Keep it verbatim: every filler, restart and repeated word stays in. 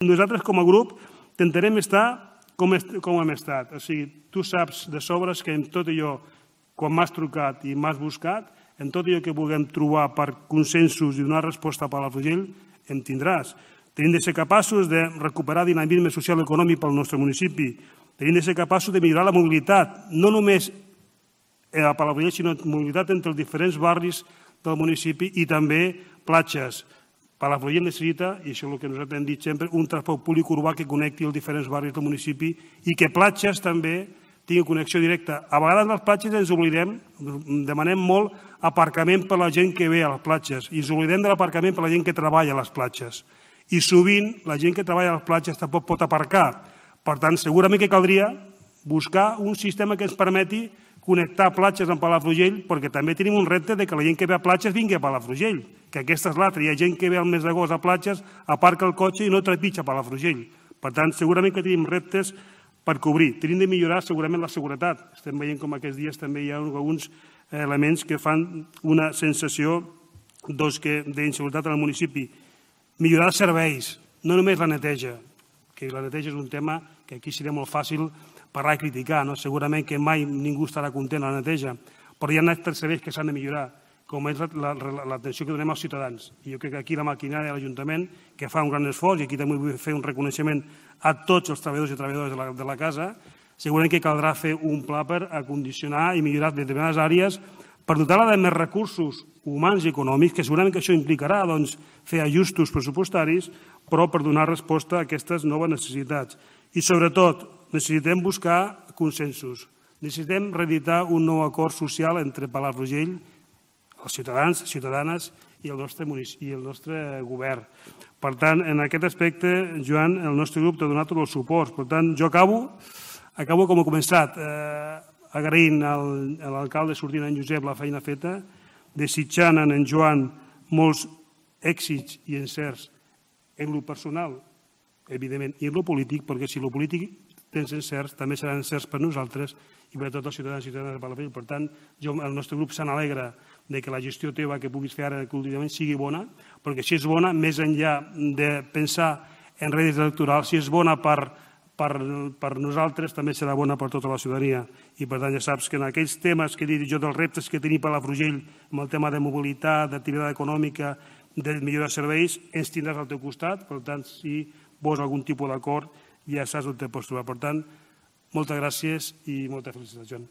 Nosaltres, com a grup, intentarem estar com hem estat. O sigui, tu saps de sobres que en tot allò, quan m'has trucat i m'has buscat, en tot allò que vulguem trobar per consensos i donar resposta a Palafrugell, en tindràs. Tenim de ser capaços de recuperar dinamisme social i econòmic pel nostre municipi. Tenim de ser capaços de millorar la mobilitat, no només a Palafrugell, sinó mobilitat entre els diferents barris del municipi i també platges. Palafrugell necessita, i això és el que nosaltres hem dit sempre, un transport públic urbà que connecti els diferents barris del municipi i que platges també tingui connexió directa. A vegades a les platges ens oblidem, demanem molt aparcament per a la gent que ve a les platges i ens oblidem de l'aparcament per a la gent que treballa a les platges. I sovint la gent que treballa a les platges tampoc pot aparcar. Per tant, segurament que caldria buscar un sistema que ens permeti connectar platges amb Palafrugell, perquè també tenim un repte que la gent que ve a platges vingui a Palafrugell, que aquesta és l'altra. Hi ha gent que ve al mes d'agost a platges, aparca el cotxe i no trepitja a Palafrugell. Per tant, segurament que tenim reptes per cobrir. Tenim de millorar segurament la seguretat. Estem veient com aquests dies també hi ha alguns elements que fan una sensació d'inseguretat en el municipi. Millorar els serveis, no només la neteja, que la neteja és un tema que aquí seria molt fàcil parlar i criticar. Segurament que mai ningú estarà content a la neteja, però hi ha altres serveis que s'han de millorar, com és l'atenció que donem als ciutadans. I jo crec que aquí la maquinària de l'Ajuntament, que fa un gran esforç, i aquí també vull fer un reconeixement a tots els treballadors i treballadores de la casa, segurament que caldrà fer un pla per acondicionar i millorar determinades àrees per dotar-la de més recursos humans i econòmics, que segurament que això implicarà fer ajustos pressupostaris, però per donar resposta a aquestes noves necessitats. I sobretot, necessitem buscar consensos. Necessitem reeditar un nou acord social entre Palafrugell, els ciutadans, ciutadanes i el nostre govern. Per tant, en aquest aspecte, Joan, el nostre grup t'ha donat tot el suport. Per tant, jo acabo, acabo com he començat, agraint a l'alcalde sortint, en Josep, la feina feta, desitjant en Joan molts èxits i encerts en lo personal, evidentment, i en lo polític, perquè si lo polític tens encerts, també seran encerts per nosaltres i per a tots els ciutadans i ciutadanes de Palafrugell. Per tant, el nostre grup se n'alegra que la gestió teva que puguis fer ara últimament sigui bona, perquè si és bona, més enllà de pensar en rèdits electorals, si és bona per nosaltres, també serà bona per tota la ciutadania. I per tant, ja saps que en aquells temes que he dit jo dels reptes que tenim Palafrugell, amb el tema de mobilitat, d'activitat econòmica, de millorar serveis, ens tindràs al teu costat. Per tant, si vols algun tipus d'acord, ja saps on te pots trobar. Per tant, moltes gràcies i moltes felicitats, Joan.